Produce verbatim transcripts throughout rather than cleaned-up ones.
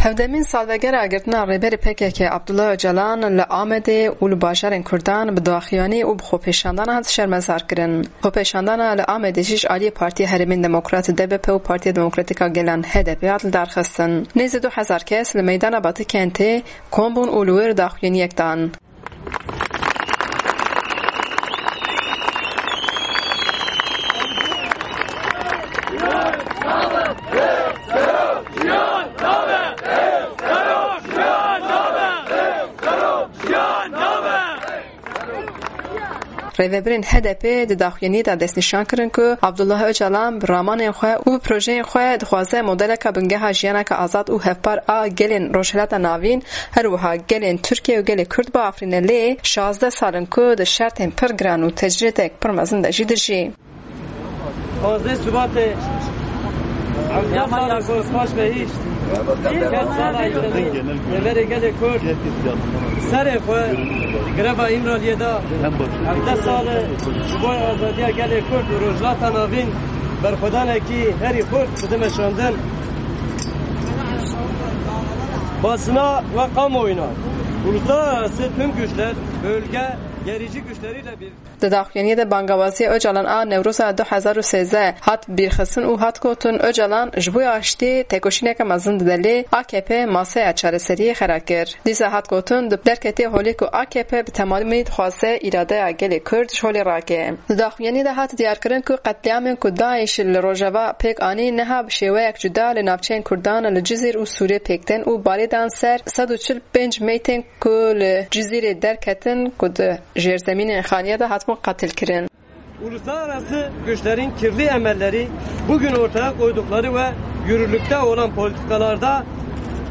Hevdemîn salvegera girtina Rêberê P K K Abdullah Ocalan li Amedê û li bajarên Kurdan bi daxuyanî û bi xwepêşandana hat şermezar kirin. Xwepêşandana li Amedê jî ji aliyê Partiya Herêmên Demokrat D B P û Partiya Demokratîk a Gelan H D P hat lidarxistin. Nêzî du hezar kes li meydana Batî Kentê kom bûn û li wir daxuyaniyek dan. Rêvebirên H D P di daxuyaniyê de destnîşan kirin ku Abdullah Ocalan bi ramanên xwe û bi projeyên xwe dixwaze modeleka bingeha jiyaneke azad û hevpar a gelên Rojhilata Navîn, her wiha gelên Tirkiye û gelê Kurd biafirîne, lê şazdeh sal in ku di şertên pir giran û tecrîdek pir mezin de jî dijî. Pazdeh Şubatê hevdeh salê ku paş ve hîşt kes sala îşedî Rêberê Gelê Kurd serê xwe greva Îmraliyê da. Hevdeh sal e ji bo azadiya gelê Kurd û Rojhilata Navîn berxwedanekî herî xurt dide meşandin. Basına ve kamuoyuna, uluslararası tüm güçler, bölge gerici güçleriyle bir Di daxuyaniyê de bangawaziya Ocalan a Newroza du hezar û sêzdeh hat bîrxistin û hat gotin, Ocalan ji bo aştî tekoşîneke mezin dide, lê A K P masaya çareseriyê xera kir. Dîsa hat gotin, di derketê holê ku A K P bi temamî dixwaze îradeya gelê Kurd ji holê rake. Di daxuyaniyê de hat diyarkirin ku qetlîamên ku DAIŞ li Rojava pêk anî niha bi şêweyek cuda li navçeyên Kurdan li Cizîr û Sûrê pêk tên û balê dan ser sed û çil pênc meytên ku li Cizîrê derketin ku di jêrzemînên xaniya de hatibûn qetilkirin. Uluslararası güçlerin kirli emelleri bugün ortaya koydukları ve yürürlükte olan politikalarda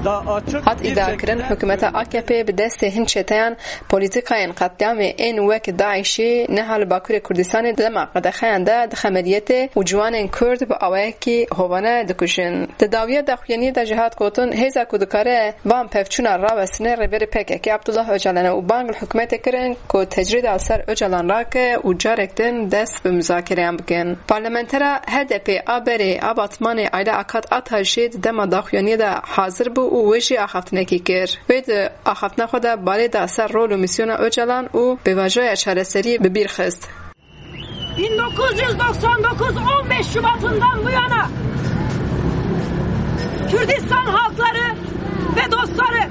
da açık Hat bir îdiakirin şekilde hikûmeta A K P bi destê hin çeteyan polîtîkayên qetlîamê ên wek DAIŞî niha li Bakurê Kurdistanê di dema qedexeyan de di xemeliyetê û ciwanên Kurd bi awayekî hovane dikujin. Di dawiya daxuyaniyê de jî hat gotin, hêza ku dikare van pevçûna rawestine Rêberê P K K Abdullah Ocalan e û bang li hikûmetê kirin ku tecrîda li ser Ocalan rake û carek din dest bi muzakereyan bikin. Parlamentera H D P a berê a Batmanê Ayla Akat Ata jî di dema daxuyaniyê de hazir bû û wê jî axaftinekî kir. Wê di axaftina xwe de balê da ser rol û mîsyona Ocalan û pêvajoya çareseriyê bi bîr xist. bin dokuz yüz doksan dokuz on beş Şubat'ından bu yana Kürdistan halkları ve dostları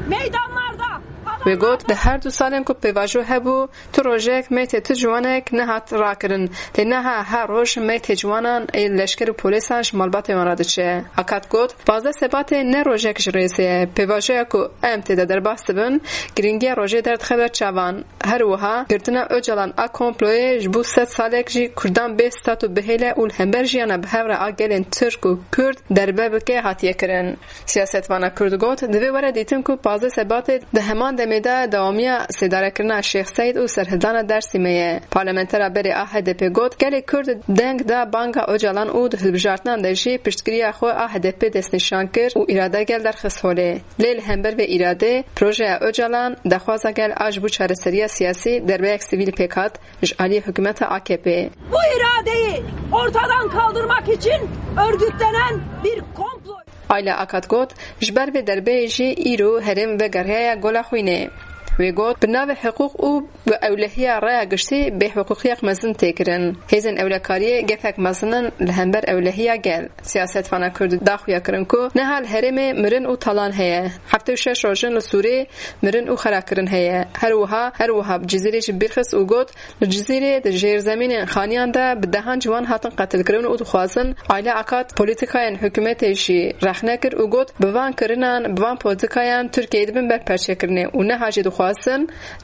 meydanlarda Wê got, di her du salên ku pêvajo hebû, tu rojek meytê tu ciwanek nehat rakirin. Lê niha her roj meytê ciwanan ê leşker û polêsan ji malbatê wan re diçe. Akat got, pazdeh Sebatê ne rojek ji rêzê ye. Pêvajoya ku em tê de derbas dibin, girîngiya rojê derdixe ber çavan. Her wiha girtina Ocalan a komployê ji bo sed salek jî Kurdan bê stat û bihêle û li hember jiyana bi hev re a gelên Tirk û Kurd derbe bike hatiye kirin. Siyasetvana Kurd got, divê were dîtin ku pazdeh Sebatê di heman demê de dewamiya sêdarekirina Şêx Seîd û serhildana Dersîmê ye. Parlamentera berê a H D P got, gelê Kurd deng da banga Ocalan û di hilbijartinan de jî piştgiriya xwe a H D P destnîşan kir û îrade gel derxist holê. Lê li hember vê îradê, projeya Ocalan, daxwaza gel a ji bo çareseriya siyasî derbeyek sivîl pêk hat ji aliyê hikûmeta A K P. Bu iradeyi ortadan kaldırmak için örgütlenen bir komplo. Ayla Akat got, ji ber vê derbeyê jî îro herêm vegeriyaye Gola Xwînê. Wê got, bi navê hiqûq û bi ewlehiya raya giştî bêhiqûqiyek mezin tê kirin. Hêzên ewlekariyê gefek mezin in li hember ewlehiya gel. Siyasetvana Kurd daxuya kirin ku niha li herêmê mirin û talan heye. Heftê û şeş rojin li Sûrê mirin û xerakirin heye. Her wiha, her wiha bi Cizîrê jî bîrxist û got, li Cizîrê di jêrzemînên xaniyan de bi dehan ciwan hatin qetilkirin û dixwazin Ayla Akat polîtîkayên hikûmetê jî rexne kir û got, bi van kirinan, bi van polîtîkayan Tirkiyeyê dibin ber perçekirinê û niha jî dixwazin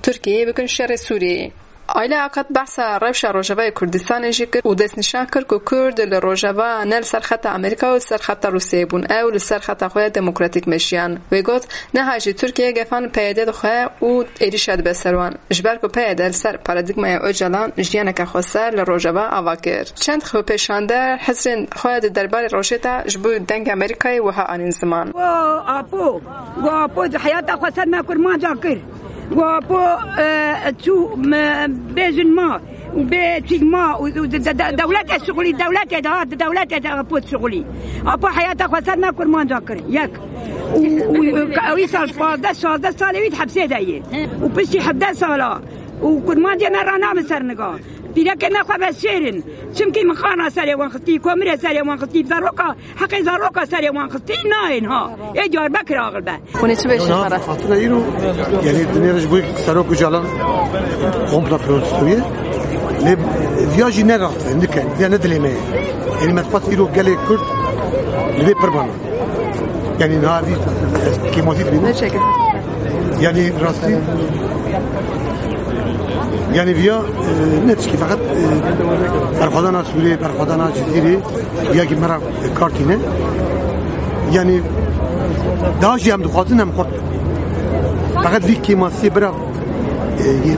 Tirkiyeyê bikin şerê Sûriyeyê. Ayla Akat behsa rewşa Rojavayê Kurdistanê jî kir û destnîşan kir ku Kurd li Rojava ne li ser xeta Amerîka û li ser xeta Rûsiyeyê bûn, ew li ser xeta xwe ya demokratîk meşiyan. Wê got, niha jî Tirkiye gefan P Y D dixwe û êrîşa dibe ser wan. Ji ber ku P Y D li ser paradîgmaya Ocalan jiyaneke xweser li Rojava ava kir. Çend xwepêşander hizrên xwe di derbarê rojê de ji bo Dengê Amerîkayê wiha anîn ziman. Go apo, go apo di heyata xwe ser me kurmanca kir. Go apo, e, çû me bêjin ma. Û bê çîkma û, û de, de, de, dewletê şixulî, dewletê de hat, dewletê de pot şixulî. Apa heyata xwe ser me kurmanca kir. Yek. Û, û, û, ka-, wî sal pazdeh, şazdeh salê wî di hepsê de ye. Û piştî hevdeh sala. Û kurmancê me ranabin ser niga. Pîrekê me xwe veşêrin. Çimkî min xana serê wan xistî, komirê serê wan xistî, zaroka, heqê zaroka serê wan xistî nayên ha. Ê Diyarbekir axil be. Hûn ê çi bêjin Ona xwe re? Fatura îro, yani dinê ji bo serok Ocalan komplo protestoye. Lê viya jî ne raxt, ne ke, viya ne dilê me. Yani me dixwest îro gelê Kurd li vê pir bana. Yani niha vî kêmasî dibîne. Ne çekin. Yani rastî, yani viya, e, ne tişkî, feqet, e, berxwedana Sûrê, berxwedana Cizîrê, viya ki me ra kar tîne. Yani daha jî em dixwazin em xurt. Feqet vî kêmasiyê bira, e, yê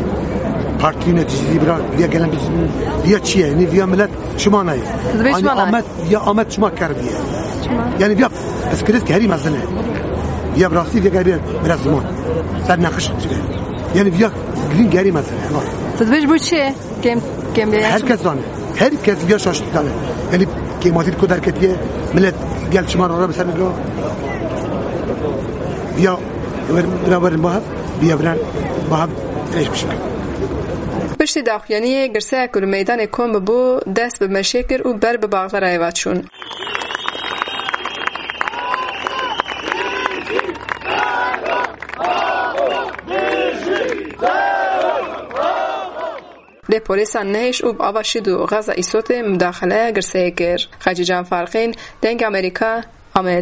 partî neticî bira, viya gelen biz, viya çi ye? Yani viya millet çima nayê? Siz bê çima nayê? Amet, viya Amet çima kar viya? Çima? Yani viya piskiriz ki herî mezin e. Viya bi rastî viya gel bir, biraz zaman. Ser nakış. Yani viya grîn gerî mezin e. Siz bê ji bo çi? Kêm, kêm bê. Herkes zane. Herkes viya şaştî zane. Yani kêmasî ku derketiye, millet gel çima rara bi ser niga. Viya ver, bira verin bahat, viya verin bahat, eş bir şey. Piştî daxuyaniyê girseyek ku li meydanê kom bibû, dest bi meşê kir û ber bi Baxdarayê ve çûn. Lê polîsan nehêş û bi ava şîd û gaza îsotê mudaxile girseyê kir. Xecîcan Farqîn, Dengê Amerîka, Amed.